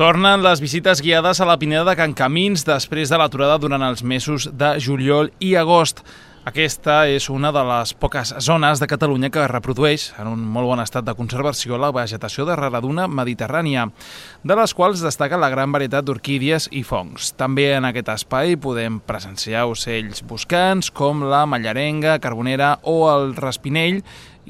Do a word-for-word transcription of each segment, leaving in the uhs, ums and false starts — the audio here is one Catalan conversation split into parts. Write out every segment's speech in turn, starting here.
Tornen les visites guiades a la Pineda de Can Camins després de l'aturada durant els mesos de juliol i agost. Aquesta és una de les poques zones de Catalunya que reprodueix en un molt bon estat de conservació la vegetació de raraduna mediterrània, de les quals destaca la gran varietat d'orquídies i fongs. També en aquest espai podem presenciar ocells boscants com la mallarenga, carbonera o el raspinell,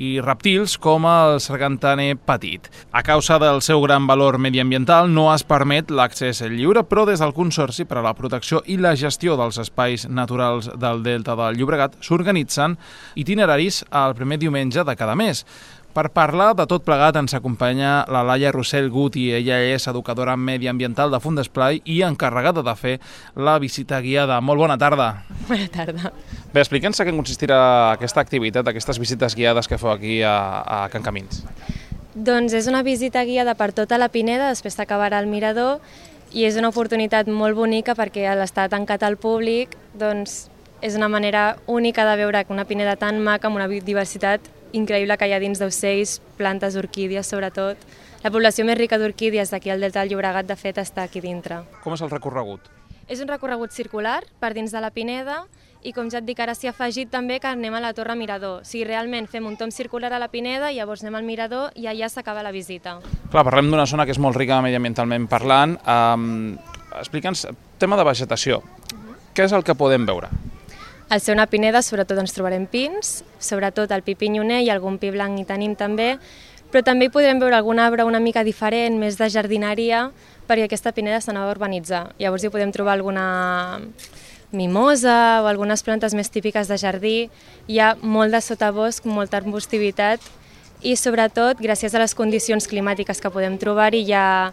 i reptils com el sargantaner petit. A causa del seu gran valor mediambiental no es permet l'accés lliure, però des del Consorci per a la Protecció i la Gestió dels Espais Naturals del Delta del Llobregat s'organitzen itineraris el primer diumenge de cada mes. Per parlar de tot plegat ens acompanya la Laia Rossell Guti. Ella és educadora mediambiental de Fundesplai i encarregada de fer la visita guiada. Molt bona tarda. Bona tarda. Bé, explica'ns en què consistirà aquesta activitat, aquestes visites guiades que feu aquí a, a Can Camins. Doncs és una visita guiada per tota la Pineda, després s'acabarà el mirador, i és una oportunitat molt bonica perquè a l'estar tancat al públic doncs, és una manera única de veure una Pineda tan maca, amb una diversitat increïble que hi ha dins d'ocells, plantes, orquídies, sobretot. La població més rica d'orquídies d'aquí al Delta del Llobregat, de fet, està aquí dintre. Com és el recorregut? És un recorregut circular per dins de la Pineda i, com ja et dic, ara s'hi ha afegit també que anem a la Torre Mirador. O sigui, realment fem un tomb circular a la Pineda i llavors anem al Mirador i allà s'acaba la visita. Clar, parlem d'una zona que és molt rica mediambientalment parlant. Um, Explica'ns, tema de vegetació. Uh-huh. Què és el que podem veure? Al ser una pineda, sobretot ens trobarem pins, sobretot el pi pinyoner i algun pi blanc hi tenim també, però també hi podrem veure algun arbre una mica diferent, més de jardineria, perquè aquesta pineda s'anava a urbanitzar. Llavors hi podem trobar alguna mimosa o algunes plantes més típiques de jardí. Hi ha molt de sotabosc, molta arbustivitat i sobretot, gràcies a les condicions climàtiques que podem trobar-hi, hi ha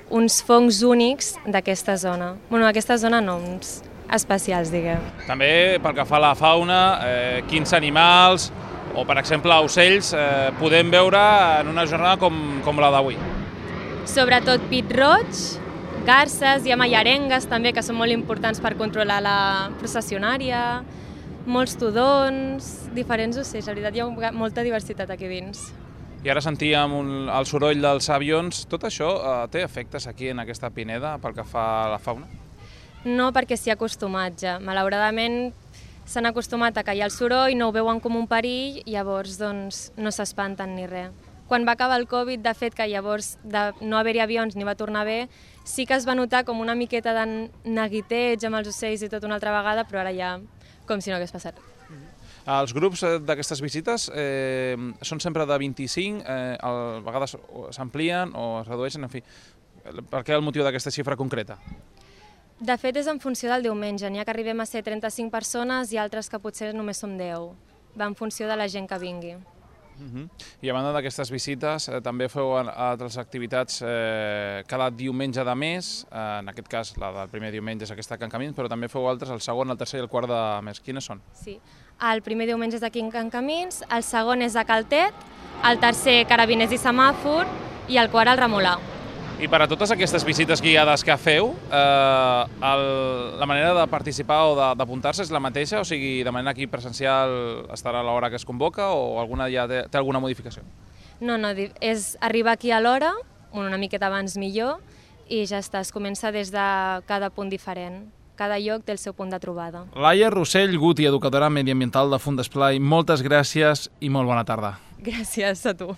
uns fongs únics d'aquesta zona. Bueno, aquesta zona no, uns especials, diguem. També pel que fa a la fauna, eh, quins animals o, per exemple, ocells eh, podem veure en una jornada com, com la d'avui? Sobretot pit roig, garses, hi ha mallarengues també, que són molt importants per controlar la processionària, molts tudons, diferents ocells, la veritat hi ha molta diversitat aquí dins. I ara sentíem un, el soroll dels avions. Tot això eh, té efectes aquí en aquesta pineda pel que fa a la fauna? No, perquè s'hi ha acostumat ja. Malauradament s'han acostumat a callar el soroll, no ho veuen com un perill i llavors doncs, no s'espanten ni res. Quan va acabar el Covid, de fet, que llavors de no haver-hi avions ni va tornar bé, sí que es va notar com una miqueta de neguiteig amb els ocells i tot una altra vegada, però ara ja com si no hagués passat. Els grups d'aquestes visites eh, són sempre de vint-i-cinc, eh, a vegades s'amplien o es redueixen, en fi. Per què el motiu d'aquesta xifra concreta? De fet, és en funció del diumenge. N'hi ha que arribem a ser trenta-cinc persones i altres que potser només som deu. Va en funció de la gent que vingui. Uh-huh. I a banda d'aquestes visites, eh, també feu altres activitats eh, cada diumenge de mes, eh, en aquest cas la del primer diumenge és aquesta Can Camins, però també feu altres el segon, el tercer i el quart de mes. Quines són? Sí, el primer diumenge és aquí en Can Camins, el segon és a Caltet, el tercer Carabiners i Semàfor i el quart al Remolà. I per a totes aquestes visites guiades que feu, eh, el, la manera de participar o d'apuntar-se és la mateixa? O sigui, de manera aquí presencial estarà a l'hora que es convoca o alguna ja té, té alguna modificació? No, no, és arribar aquí a l'hora, una miqueta abans millor, i ja està, es comença des de cada punt diferent. Cada lloc té el seu punt de trobada. Laia Rossell Guti, educadora mediambiental de Fundesplai, moltes gràcies i molt bona tarda. Gràcies a tu.